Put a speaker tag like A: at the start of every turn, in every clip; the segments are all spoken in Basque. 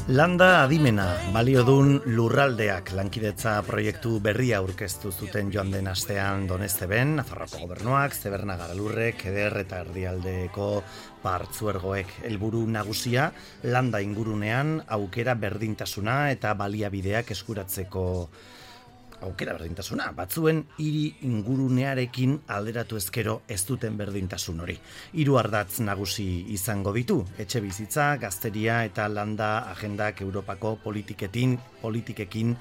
A: Landa adimena, baliodun lurraldeak lankidetza proiektu berria aurkeztu zuten joan den astean Donezteben, Nafarroako gobernuak, Zeberna Garalurrek, Eder eta Erdialdeko partzuergoek. Helburu nagusia, landa ingurunean aukera berdintasuna eta baliabideak eskuratzeko aukera berdintasuna, batzuen hiri ingurunearekin alderatu ezkero ez duten berdintasun hori. 3 ardatz nagusi izango ditu, etxebizitza, gazteria eta landa agendak Europako politikekin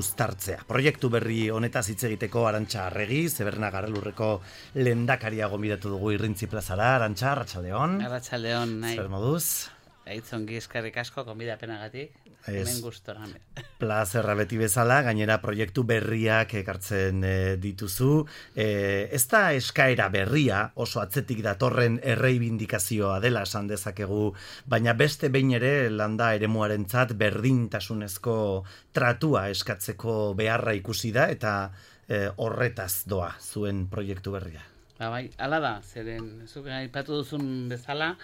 A: uztartzea. Proiektu berri honetaz hitz egiteko Arantxa Arregi, Zeberna Garalurreko lehendakaria gonbidatu dugu Irrintzi plazara. Arantxa, arratsaldeon.
B: Arratsaldeon, nahi.
A: Zer moduz?
B: Aitzongi eskerrik asko gonbidapenagatik. Hemen gustora.
A: Plazerra beti bezala, gainera proiektu berriak ekartzen dituzu. Ez da eskaera berria, oso atzetik datorren erreibindikazioa dela esan dezakegu, baina beste behin ere landa eremuarentzat berdintasunezko tratua eskatzeko beharra ikusi da eta horretaz doa zuen proiektu berria.
B: Bai, hala da, zeren zuk aipatu duzun bezala,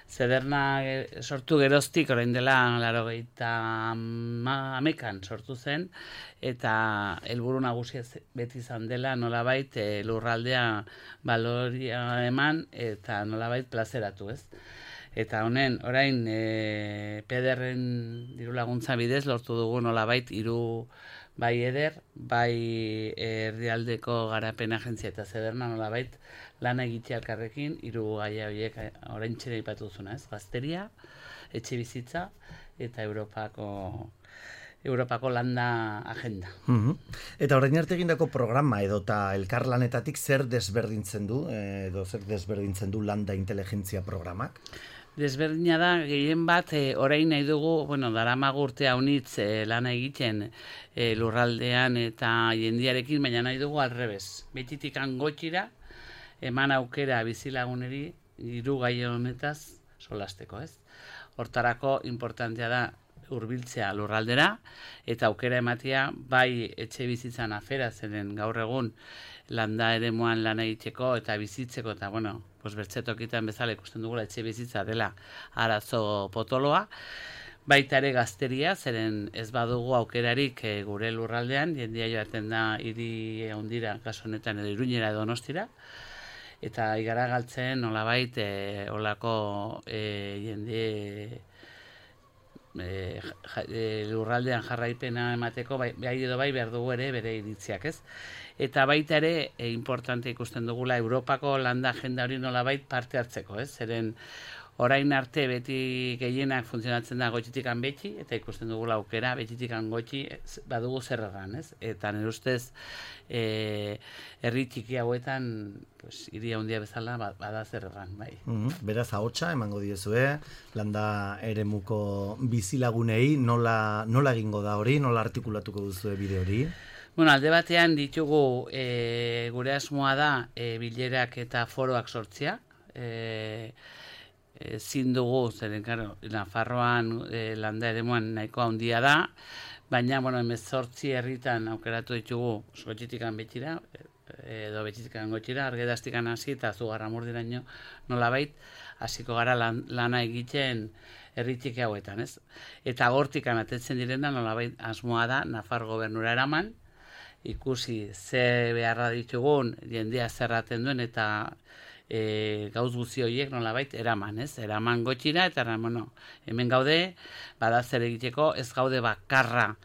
B: Zederna sortu geroztik, orain dela 80an sortu zen, eta helburu nagusia beti izan dela nolabait lurraldea baloria eman eta nolabait plazeratu, ez? Eta honen, orain PDR-en diru laguntza bidez lortu dugu nolabait 3 bai Eder, bai Erdialdeko garapen agentzia eta Zederna nolabait lana egitea elkarrekin, 3 gaia horiek oraintxe aipatu duzuna, ez? Gazteria, etxebizitza eta Europako landa agenda.
A: Eta orain arte egindako programa edota elkarlanetatik zer desberdintzen du landa inteligentzia programak?
B: Desberdina da, gehien bat, orain nahi dugu, daramagu urte haunitz lana egiten lurraldean eta jendiarekin, baina nahi dugu alrebez. Betitik gotxira, eman aukera bizilaguneri 3 gai honetaz solasteko, ez? Hortarako importantea da hurbiltzea lurraldera eta aukera ematea bai etxe bizitzan afera zeren gaur egun landa eremuan lana egiteko eta bizitzeko eta bertzetokitan bezala ikusten dugula etxe bizitza dela arazo potoloa. Baita ere gazteria, zeren ez badugu aukerarik gure lurraldean, jendia joaten da hiri handira, kasu honetan edo Iruñera edo Donostira, eta igara galtzen nolabait olako jende lurraldean jarraipena emateko bai edo bai behar dugu ere bere iritziak, ez? Eta baita ere importante ikusten dugula Europako landa agenda hori nolabait parte hartzeko, ez? Zeren orain arte beti gehienak funtzionatzen da gotxitikan betxi, eta ikusten dugula aukera betxitikan gotxi badugu zer erran, ez? Eta nire ustez herri txiki hauetan hiri handia bezala bada zer erran, bai.
A: Beraz, ahotsa emango diezue, landa eremuko bizilagunei, nola egingo da hori, nola artikulatuko duzue bide hori?
B: Alde batean ditugu gure asmoa da bilerak eta foroak sortzea, ezin dugu, zeren, Nafarroan landa eremuan nahiko handia da, baina, 18 herritan aukeratu ditugu gotxitikan betxira, edo betxitikan gotxira, Argedaztikan hasi eta Zugarramurdiraino nolabait, hasiko gara lana egiten herri txiki hauetan, ez? Eta gortikan atetzen direna nolabait asmoa da Nafar gobernura eraman, ikusi ze beharra ditugun jendea zerraten duen eta gauz guzi horiek nolabait eraman, ez? Eraman gotxira eta hemen gaude, bada zer egiteko, ez gaude bakarra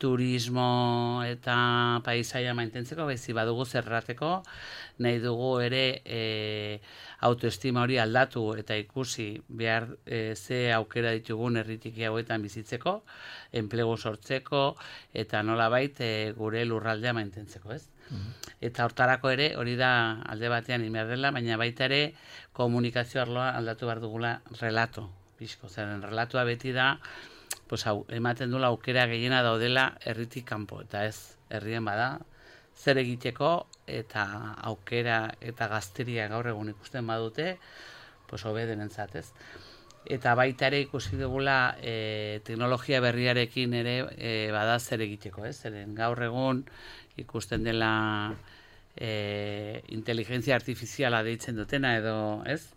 B: turismo eta paisaia mantentzeko, baizi badugu zerrateko, nahi dugu ere autoestima hori aldatu eta ikusi behar ze aukera ditugun herritiki hauetan bizitzeko, enplegu sortzeko eta nolabait gure lurraldea mantentzeko, ez? Eta hortarako ere, hori da alde batean inbehar dela, baina baita ere komunikazio arloa aldatu behar dugula relato, bizko, zeren relatoa beti da, ematen dula aukera gehiena daudela herritik kanpo, eta ez herrien bada, zer egiteko eta aukera eta gazteria gaur egun ikusten badute, hobe denentzat, ez? Eta baita ere ikusi dugula teknologia berriarekin ere bada zer egiteko, ez? Zeren gaur egun ikusten dela inteligentzia artifiziala deitzen dutena edo, ez?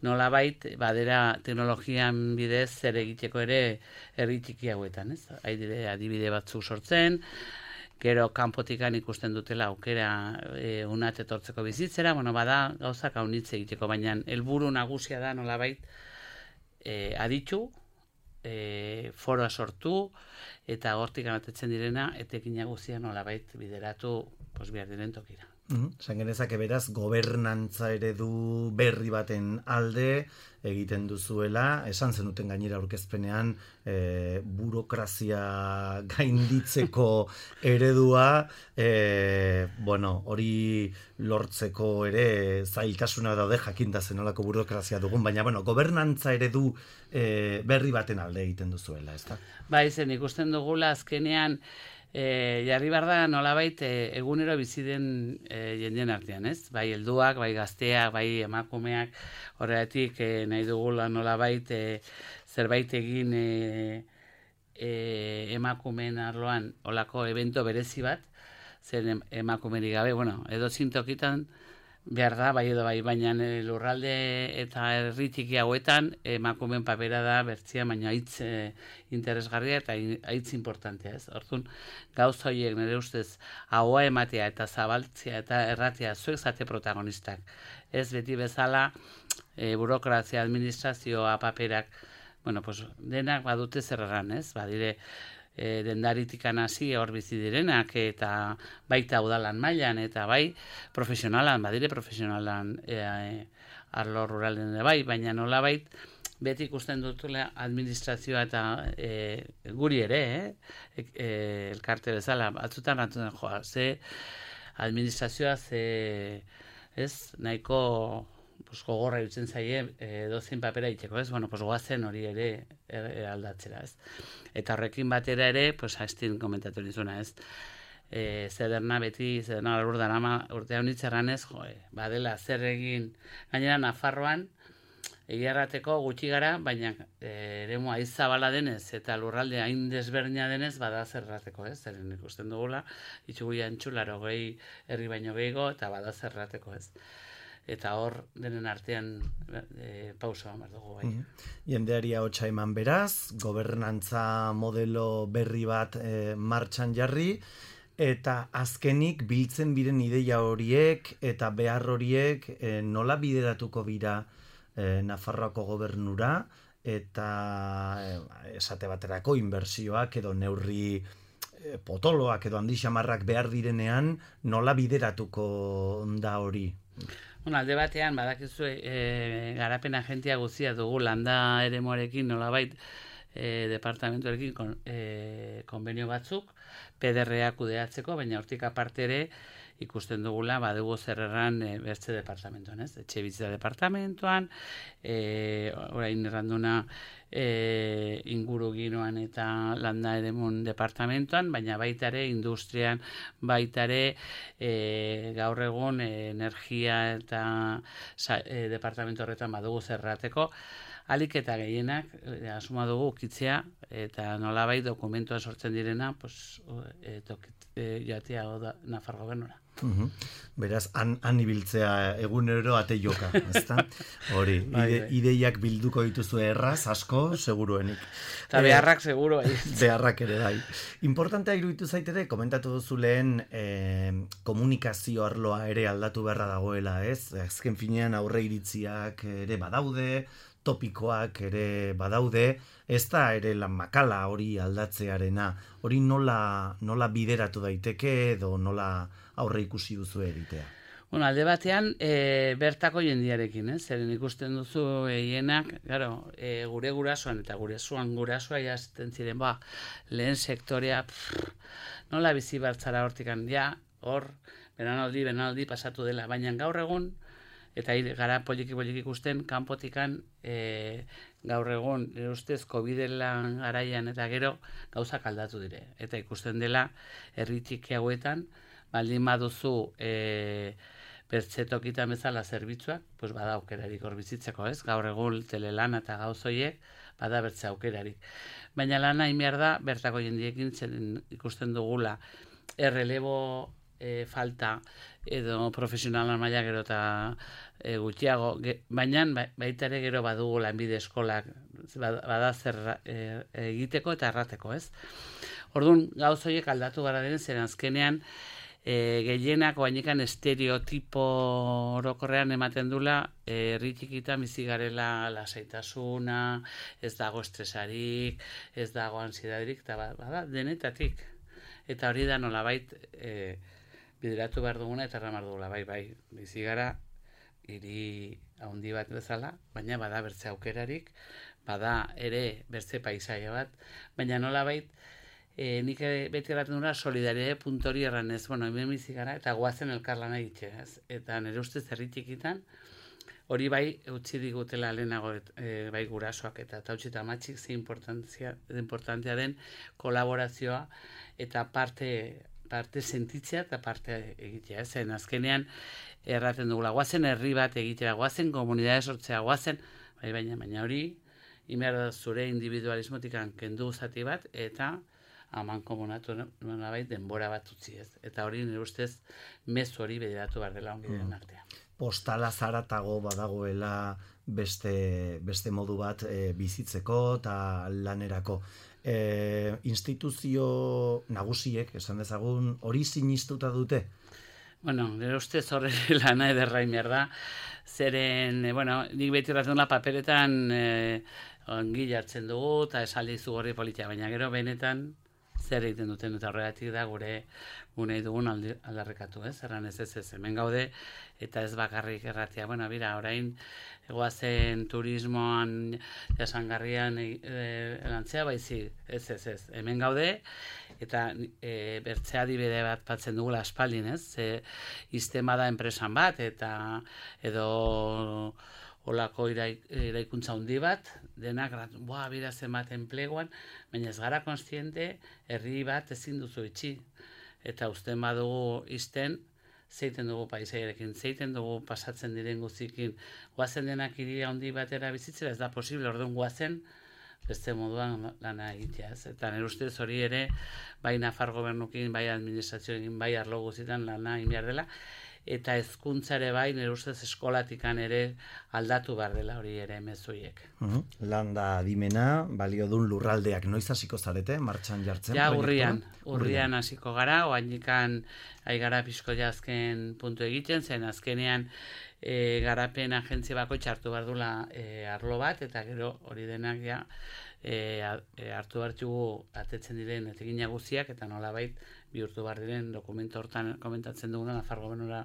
B: nolabait badera teknologian bidez zer egiteko ere herri txiki hauetan, ez? Haidire adibide batzuk sortzen, gero kanpotikan ikusten dutela aukera unat etortzeko bizitzera, bada gauzak haunitze egiteko, baina helburu nagusia da nolabait aditu, foroa sortu, eta hortik anatetzen direna, etekin guztia nolabait bideratu behar diren tokira.
A: Esan genezake beraz, gobernantza eredu berri baten alde egiten duzuela, esan zenuten gainera aurkezpenean burokrazia gainditzeko eredua, hori lortzeko ere zailtasuna daude jakinda zenolako burokrazia dugun, baina gobernantza eredu berri baten alde egiten duzuela, ez da?
B: Bai, zen ikusten dugula azkenean jarri behar da nolabait egunero bizi den jendeen artean, ez? Bai helduak, bai gazteak, bai emakumeak, horregatik nahi dugula nolabait zerbait egin emakumeen arloan olako evento berezi bat, zen emakumerik gabe, edo zintokitan behar da, bai edo bai, baina lurralde eta herri txiki hauetan emakumeen papera da bertzia, baina hitz interesgarria eta hitz importantea, ez? Orduan, gauza horiek nire ustez ahoa ematea eta zabaltzea eta erratea zuek zate protagonistak. Ez beti bezala burokrazia, administrazioa, paperak, denak badute zer erran, ez? Badire dendaritikan hasi hor bizi direnak eta baita udalan mailan eta bai profesionalan, badire profesionalan arlo ruralen bai, baina nolabait beti ikusten dutela administrazioa eta guri ere, elkarte bezala, batzutan rantuen joa, ze administrazioa nahiko gogorra dutzen zaie dozein papera itxeko, ez? Goazen hori ere aldatzera, ez? Eta horrekin batera ere, hastin komentatu nizuna, ez? Zederna beti, zederna urte honitzeran ez, badela zer egin, gainera Nafarroan, egiarrateko gutxi gara, baina eremu aizabala denez, eta lurralde hain desberdina denez, bada zerrateko, ez? Zeren ikusten dugula, itxugu jantxularo gehi herri baino gehiago, eta bada zerrateko, ez? Eta hor denen artean pausa behar dugu bai.
A: Jendeari ahotsa eman beraz, gobernantza modelo berri bat martxan jarri, eta azkenik biltzen biren ideia horiek eta behar horiek nola bideratuko bira Nafarroako gobernura, eta esate baterako inbertsioak edo neurri potoloak edo handixamarrak behar direnean nola bideratuko da hori?
B: Alde batean, badakizu garapen agentia guztia dugu landa eremuarekin nolabait departamentuarekin konbenio batzuk, PDR-a kudeatzeko, baina hortik aparte ere ikusten dugula, badugu zer erran bertze departamentuan, ez? Etxe bizitza departamentuan, orain erranduna inguruginoan eta landa eremun departamentuan, baina baita ere industrian, baita ere gaur egun energia eta departamentu horretan badugu zerrateko, alik eta gehienak asuma dugu ukitzea eta nolabait dokumentua sortzen direna jatea Nafar gobernura.
A: Beraz, han ibiltzea egunero ate joka, ezta? Hori, ideiak bilduko dituzu erraz, asko, seguruenik.
B: Eta beharrak seguru.
A: Beharrak ere bai. Importantea iruditu zaitere, komentatu duzu lehen komunikazio arloa ere aldatu beharra dagoela, ez? Azken finean aurre iritziak ere badaude, topikoak ere badaude, ez da ere lan makala hori aldatzearena, hori nola bideratu daiteke edo nola aurre ikusi duzu egitea?
B: Alde batean, bertako jendiarekin, zeren ikusten duzu hienak, gure gurasoan eta gurasoa jazten ziren, lehen sektorea, nola bizi bartzara hortikan, hor, benaldi pasatu dela, baina gaur egun, eta gara poliki ikusten, kanpotikan gaur egun, ustez, COVID-elan garaian eta gero gauzak aldatu dire. Eta ikusten dela, herri txiki hauetan, baldin baduzu bertzetokitan bezala zerbitzuak, bada aukerarik hor bizitzeko, ez? Gaur egun telelan eta gauzoiek, bada bertze aukerarik. Baina lana inbiar da, bertako jendiekin ikusten dugula, errelebo falta edo profesionalan maila gero eta gutxiago, baina baita ere gero badugu lanbide eskolak bada zer egiteko eta errateko, ez? Orduan, gauz horiek aldatu gara den, zen azkenean gehienak oainikan estereotipo orokorrean ematen dula herri txikitan bizi garela lasaitasuna, ez dago estresarik, ez dago ansiedadirik, eta bada denetatik. Eta hori da nolabait bideratu behar duguna eta erramar dugula, bai, bizi gara hiri handi bat bezala, baina bada bertze aukerarik, bada ere bertze paisaia bat, baina nolabait nik beti erraten dura solidaridade puntori erran ez, hemen bizi gara eta goazen elkarlana egite, ez? Eta nire ustez herri txikitan, hori bai utzi digutela lehenago bai gurasoak eta utzi eta matxik ze importantzia den kolaborazioa eta parte sentitzea eta parte egitea, ez? Zen azkenean erraten dugula, goazen herri bat egitera, goazen komunidade sortzea, goazen, baina hori, inberda zure individualismotik kendu zati bat, eta haman komunatu nolabait denbora bat utzi, ez. Eta hori nire ustez mezu hori bederatu behar dela ongiden artean.
A: Postala zaratago badagoela beste modu bat bizitzeko eta lanerako. Instituzio nagusiek, esan dezagun, hori sinistuta dute?
B: Nire ustez horre lana ederrain behar da, zeren, nik beti erratzen dela paperetan ongi jartzen dugu eta esaldi zugorri politia, baina gero benetan zer egiten duten eta horregatik da gure dugun aldarrekatu, ez? Erran ez, hemen gaude eta ez bakarrik erratia. Bira, orain egoazen turismoan jasangarrian lantzea, baizik, ez. Hemen gaude eta bertzea adibide bat batzen dugula aspaldin, ez? Iztema da enpresan bat eta edo olako eraikuntza handi bat, denak, bira zenbat enpleguan, baina ez gara konstiente, herri bat ezin duzu itxi. Eta usten badugu izten, zeiten dugu paisaiarekin, zeiten dugu pasatzen diren guzikin, guazen denak hiri handi batera bizitzera, ez da posible, orduan guazen, beste moduan lana egitea, ez? Eta nire ustez hori ere, bai Nafar gobernukin, bai administrazioekin, bai arlo guztietan lana egin behar dela, eta hezkuntza ere bai, nire ustez eskolatikan ere aldatu behar dela hori ere mezuiek.
A: Landa adimena, baliodun lurraldeak noiz hasiko zarete, martxan jartzen?
B: Ja, urrian hasiko gara, oainikan aigara pixko jazken puntu egiten, zen azkenean garapen agentzia bako txartu behar dula arlo bat, eta gero hori denak ja hartu hartugu atetzen diren etekina guztiak, eta nolabait bihurtu behar diren dokumento hortan komentatzen duguna Nafar gobernura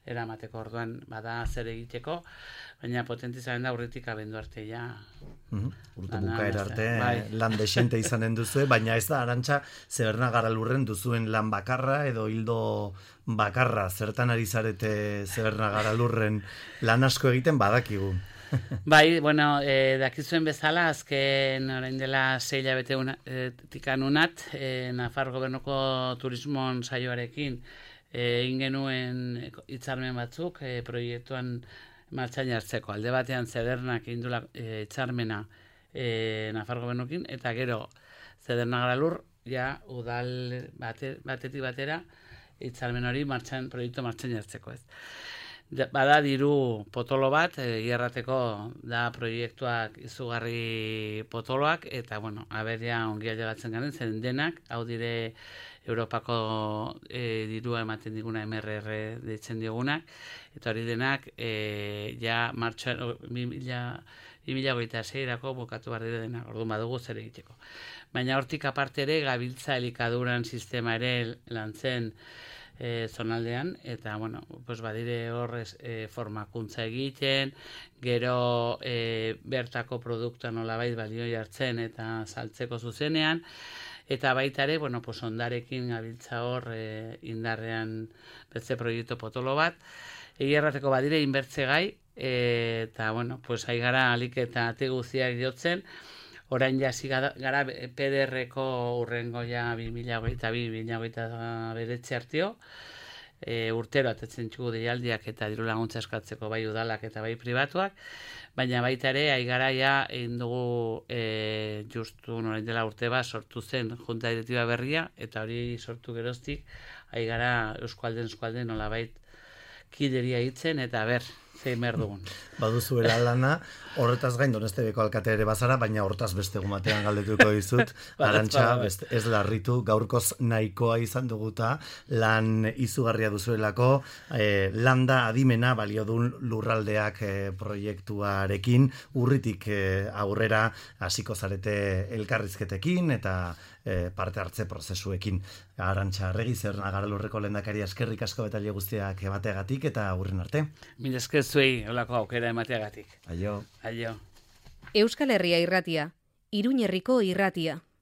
B: eramateko orduan bada zer egiteko, baina potentizaren da urritik abendu arte ja.
A: Urte bukaera arte lan desente izanen duzu, baina ez da, Arantxa, Zeberna Garalurren duzuen lan bakarra edo hildo bakarra, zertan ari zarete Zeberna Garalurren lan asko egiten badakigu.
B: Bai, dakizuen bezala, azken orain dela 6 hilabete tikan unat, Nafar gobernuko turismon saioarekin egin genuen hitzarmen batzuk proiektuan martxan jartzeko. Alde batean Zedernak egin duela hitzarmena Nafar gobernukin, eta gero Zederna Garalur, ja udal batetik batera hitzarmen hori proiektu martxan jartzeko, ez. Bada diru potolo bat, gerrateko da proiektuak izugarri potoloak, eta aberia ongi ailegatzen garen, zen denak, hau dire Europako dirua ematen diguna MRR deitzen digunak, eta hori denak ja martxoan 2026-erako bukatu behar dire denak, orduan badugu zer egiteko. Baina hortik aparte ere, gabiltza elikaduran sistema ere lantzen zonaldean, eta badire horrez formakuntza egiten, gero bertako produktua nolabait balio jartzen eta saltzeko zuzenean, eta baita ere, ondarekin gabiltza hor indarrean beste proiektu potolo bat, errateko badire inbertze gai, eta aigara alik eta ate guztiak jotzen, orain jasi gara PDR-ko urrengo ja 2022-2029 artio, urtero atetzen txugu deialdiak eta diru laguntza eskatzeko bai udalak eta bai pribatuak, baina baita ere, aigaraia egin dugu justu norain dela urte bat sortu zen junta direktiba berria, eta hori sortu geroztik, aigara euskualden nolabait kideria hitzen, eta zein behar dugun.
A: Baduzuela lana, horretaz gain Donostebeko alkate ere bazara, baina hortaz beste egun batean galdetuko dizut, Arantxa, ez larritu, gaurkoz nahikoa izan duguta, lan izugarria duzuelako, landa adimena baliodun lurraldeak proiektuarekin, urritik aurrera hasiko zarete elkarrizketekin, eta parte hartze prozesuekin. Arantxa Arregi, Zeberna Garalurreko lehendakari, eskerrik asko betaile guztiak emateagatik, eta aurren arte.
B: Mila esker zuei holako aukera emateagatik.
A: Aio.
B: Aio.
C: Euskal Herria irratia, Iruñerriko irratia.